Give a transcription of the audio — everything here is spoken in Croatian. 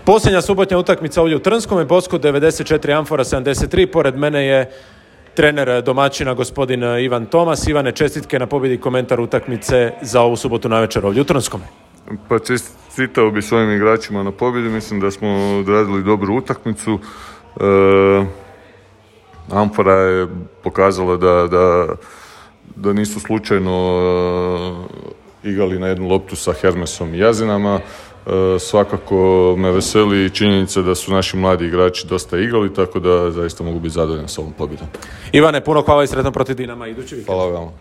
Posljednja subotnja utakmica ovdje u Trnskom, Bosko 94, Amfora 73. Pored mene je trener domaćina gospodin Ivan Tomas. Ivane, čestitke na pobjedi, komentar utakmice za ovu subotu navečer ovdje u Trnskom. Pa čestitao bi svojim igračima na pobjedi. Mislim da smo odradili dobru utakmicu. Amfora je pokazala da nisu slučajno igrali na jednu loptu sa Hermesom i Jazinama. Svakako me veseli činjenica da su naši mladi igrači dosta igrali, tako da zaista mogu biti zadovoljan s ovom pobjedom. Ivane, puno hvala i sretno protiv Dinama idući vikend. Hvala vam.